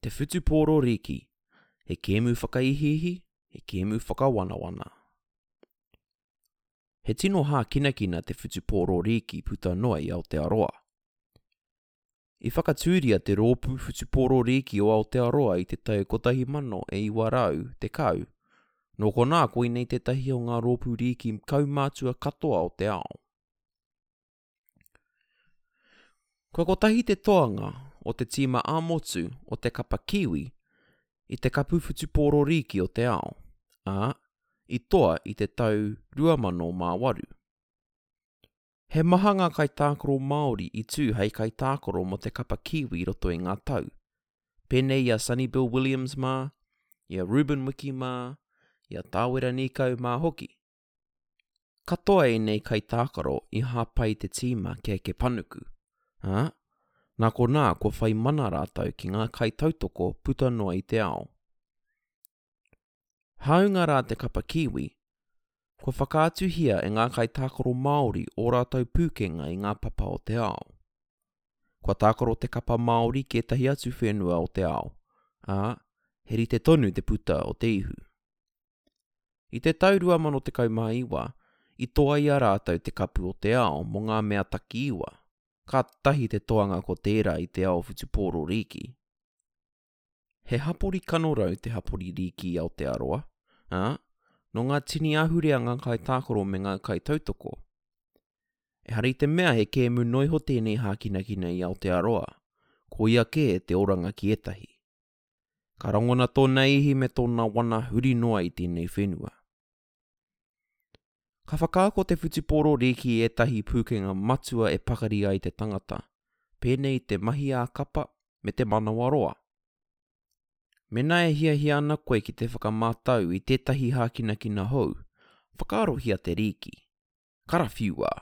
Te Whutupōro Rīki, he kēmu whakaihiihi, he kēmu whakawanawana. He tino hākinakina te whutupōro rīki puta noa i Aotearoa. I whakatūria te Rōpū Whutupōro Rīki o Aotearoa i te tau 1910, nō konā koinei tētahi o ngā rōpū rīki kaumātua katoa o te ao. Kua kotahi te toanga o te tīma ā-motu o te kapa Kiwi i te Kapu Whutupōro Rīki o te Ao, ā, i toa i te tau 2008. He maha ngā kaitākaro Māori i tū hei kaitākaro mō te kapa Kiwi i roto i ngā tau, pēnei i a Sonny Bill Williams mā, i a Ruben Wiki mā, i a Tāwera Nīkau mā hoki. Katoa ēnei kaitākaro i hāpai te tīma kia eke panuku, ā, nā konā kua whai mana rātou ki ngā kaitautoko puta noa i te ao. Hāunga rā te kapa Kiwi, kua whakaatuhia e ngā kaitākaro Māori ō rātou pūkenga i ngā papa o te ao. Kua tākaro te kapa Māori ki ētahi atu whenua o te ao, ā, he rite tonu te puta o te ihu. I te tau 2019, i toa i a rātou te Kapu o te Ao mō ngā mea takiiwa, kātahi te toanga ko tērā i te ao whutupōro rīki. He hapori kanorau te hapori rīki i Aotearoa, ā, nō ngā tini ahurea ngā kaitākaro me ngā kaitautoko. Ehara i te mea he kēmu noiho tēnei hākinakina i Aotearoa, koia kē te oranga ki ētahi. Ka rangona tōna ihi me tōna wana huri noa i tēnei whenua. Ka whakaako te whutupōro rīki i ētahi pūkenga matua e pakari ai te tangata, pēnei i te mahi ā-kapa me te manawaroa. Mēnā e hiahia ana koe ki te whakamātau i tētahi hākinakina hou, whakaarohia te rīki. Karawhiua!